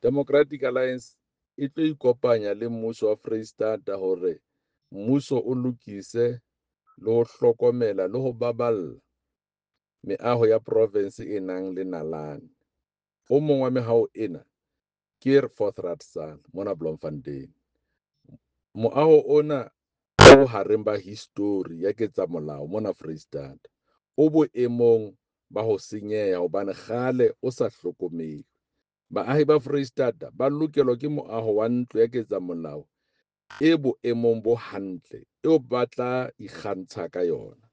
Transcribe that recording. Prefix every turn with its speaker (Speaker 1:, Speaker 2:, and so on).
Speaker 1: Democratic Alliance e tlo ikopanya le mmuso wa Freistata hore mmuso o lokise le ho hlokomela le ho baballa meaho ya provense e nang le nalane. O mong wa meaho ena ke Voorraadsaal mona Bloemfontein. Moaho ona o bohareng ba histori ya ketsamolao mona Freistata o boemong ba ho senyeha hobane kgale o sa hlokomelwe. Baahi ba Freistata ba lokelwa ke moaho wa ntlo ya ketsamolao e boemong bo hantle eo ba tla ikgantsha ka yona.